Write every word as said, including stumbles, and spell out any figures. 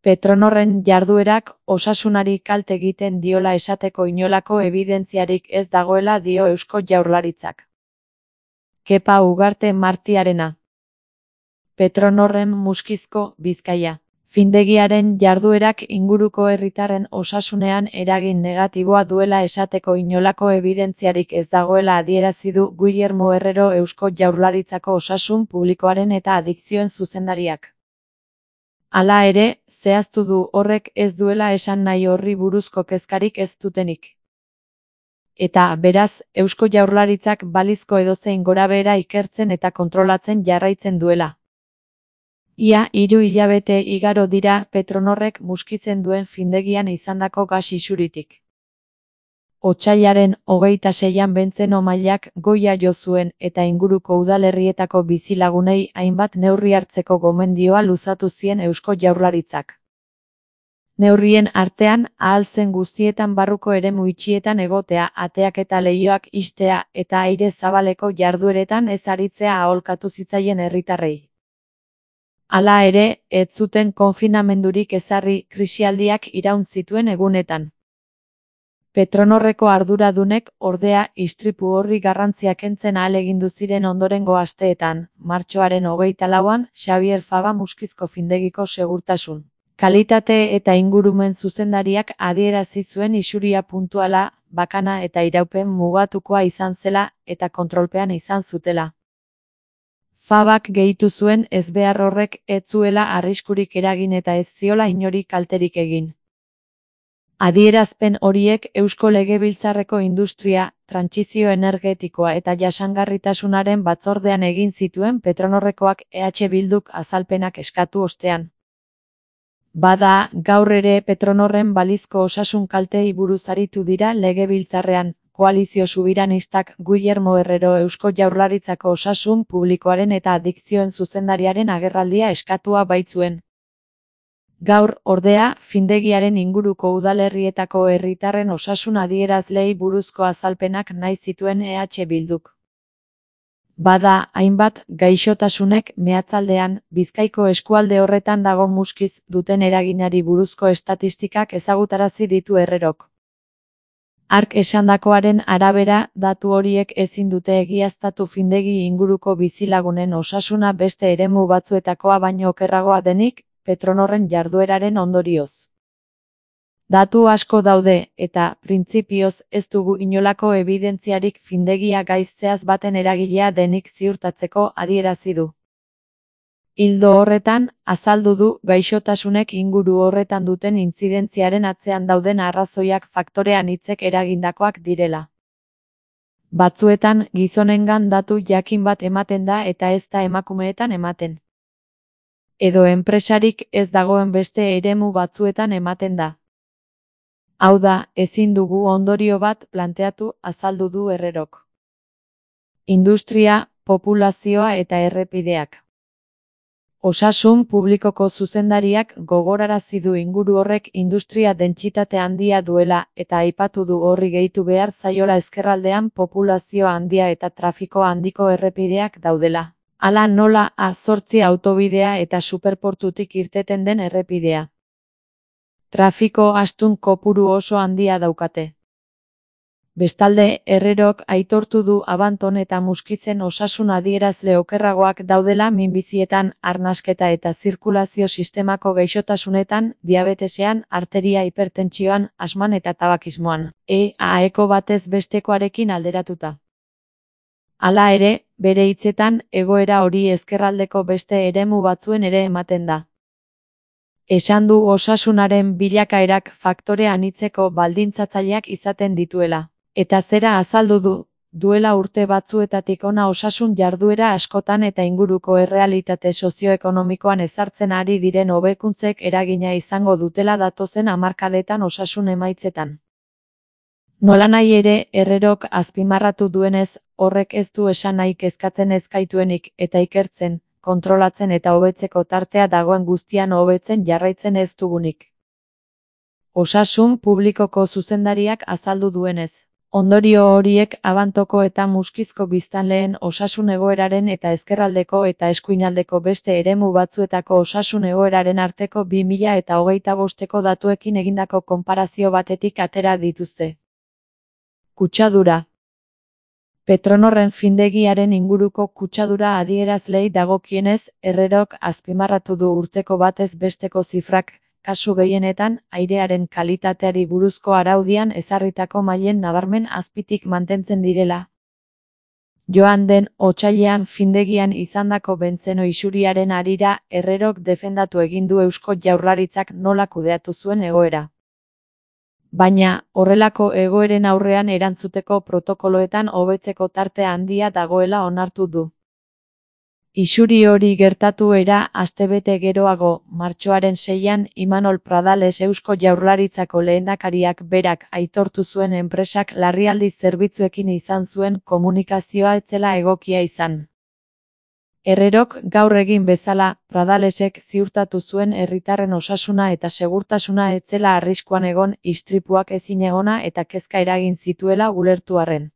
Petronorren jarduerak osasunari kalte egiten diola esateko inolako ebidentziarik ez dagoela dio Eusko Jaurlaritzak. Kepa Ugarte Martiarena. Petronorren Muskizko, Bizkaia. Findegiaren jarduerak inguruko herritarren osasunean eragin negatiboa duela esateko inolako ebidentziarik ez dagoela adierazi du Guillermo Herrero Eusko Jaurlaritzako Osasun Publikoaren eta Adikzioen zuzendariak. Hala ere, zehaztu du horrek ez duela esan nahi horri buruzko kezkarik ez dutenik. Eta, beraz, Eusko Jaurlaritzak balizko edozein gorabehera ikertzen eta kontrolatzen jarraitzen duela. Ia hiru hilabete igaro dira Petronorrek Muskizen duen findegian izandako gas isuritik. Otsailaren hogeita seian Bentzeno mailak goia jo zuen eta inguruko udalerrietako bizilagunei hainbat neurri hartzeko gomendioa luzatu zien Eusko Jaurlaritzak. Neurrien artean, ahal zen guztietan barruko eremu itxietan egotea, ateak eta leihoak ixtea eta aire zabaleko jardueretan ez aritzea aholkatu zitzaien herritarrei. Hala ere, ez zuten konfinamendurik ezarri krisialdiak iraun zituen egunetan. Petronorreko arduradunek, ordea, istripu horri garrantzia kentzen ahalegindu ziren ondorengo asteetan, martxoaren hogeita lauan, Xabier Faba Muskizko findegiko segurtasun, kalitate eta ingurumen zuzendariak adierazi zuen isuria puntuala, bakana eta iraupen mugatukoa izan zela eta kontrolpean izan zutela. Fabak gehitu zuen ezbehar horrek ez zuela arriskurik eragin eta ez ziola inori kalterik egin. Adierazpen horiek Eusko Legebiltzarreko Industria, Trantsizio Energetikoa eta Jasangarritasunaren batzordean egin zituen Petronorrekoak E H Bilduk azalpenak eskatu ostean. Bada, gaur ere Petronorren balizko osasun kalteei buruz aritu dira Legebiltzarrean. Koalizio Subiranistak Guillermo Herrero Eusko Jaurlaritzako Osasun Publikoaren eta Adikzioen zuzendariaren agerraldia eskatua baitzuen. Gaur, ordea, findegiaren inguruko udalerrietako herritarren osasun adierazleei buruzko azalpenak nahi zituen E H Bilduk. Bada, hainbat, gaixotasunek meatzaldean, Bizkaiko eskualde horretan dago Muskiz duten eraginari buruzko estatistikak ezagutarazi ditu Herrerok. Hark esandakoaren arabera, datu horiek ezin dute egiaztatu findegi inguruko bizilagunen osasuna beste eremu batzuetakoa baino okerragoa denik, Petronorren jardueraren ondorioz. Datu asko daude, eta, printzipioz, ez dugu inolako ebidentziarik findegia gaiztzeaz baten eragilea denik ziurtatzeko adierazi du. Ildo horretan, azaldu du gaixotasunek inguru horretan duten intzidentziaren atzean dauden arrazoiak faktore anitzek eragindakoak direla. Batzuetan, gizonengan datu jakin bat ematen da eta ez da emakumeetan ematen. Edo enpresarik ez dagoen beste eremu batzuetan ematen da. Hau da, ezin dugu ondorio bat planteatu, azaldu du Herrerok. Industria, populazioa eta errepideak. Osasun publikoko zuzendariak gogorarazi du inguru horrek industria dentsitate handia duela eta aipatu du horri gehitu behar zaiola ezkerraldean populazio handia eta trafiko handiko errepideak daudela. Hala nola A zortzi autobidea eta superportutik irteten den errepidea. Trafiko astun kopuru oso handia daukate. Bestalde, Herrerok aitortu du Abanton eta Muskizen osasun adierazle okerragoak daudela minbizietan, arnasketa eta zirkulazio sistemako gaixotasunetan, diabetesean, arteria hipertentsioan, asman eta tabakismoan, E A eko batez bestekoarekin alderatuta. Hala ere, bere hitzetan, egoera hori ezkerraldeko beste eremu batzuen ere ematen da. Esan du osasunaren bilakaerak faktore anitzeko baldintzatzaileak izaten dituela. Eta zera azaldu du, duela urte batzuetatik hona osasun jarduera askotan eta inguruko errealitate sozioekonomikoan ezartzen ari diren hobekuntzek eragina izango dutela datozen hamarkadetan osasun emaitzetan. Nolanahi ere, Herrerok azpimarratu duenez, horrek ez du esan nahi kezkatzen ez gaituenik eta ikertzen, kontrolatzen eta hobetzeko tartea dagoen guztian hobetzen jarraitzen ez dugunik. Osasun publikoko zuzendariak azaldu duenez. Ondorio horiek Abantoko eta Muskizko biztanleen osasun egoeraren eta ezkerraldeko eta eskuinaldeko beste eremu batzuetako osasun egoeraren arteko bi mila eta hogeita bosteko datuekin egindako konparazio batetik atera dituzte. Kutsadura. Petronorren findegiaren inguruko kutsadura adierazleei dagokienez, Herrerok azpimarratu du urteko batez besteko zifrak, kasu gehienetan, airearen kalitateari buruzko araudian ezarritako mailen nabarmen azpitik mantentzen direla. Joan den otsailean findegian izandako bentzeno isuriaren harira, Herrerok defendatu egin du Eusko Jaurlaritzak nola kudeatu zuen egoera. Baina, horrelako egoeren aurrean erantzuteko protokoloetan hobetzeko tarte handia dagoela onartu du. Isuri hori gertatu era astebete geroago, martxoaren seian, Imanol Pradales Eusko Jaurlaritzako lehendakariak berak aitortu zuen enpresak larrialdi zerbitzuekin izan zuen komunikazioa ez zela egokia izan. Herrerok gaur egin bezala, Pradalesek ziurtatu zuen herritarren osasuna eta segurtasuna ez zela arriskuan egon, istripuak ezinegona eta kezka eragin zituela ulertu arren.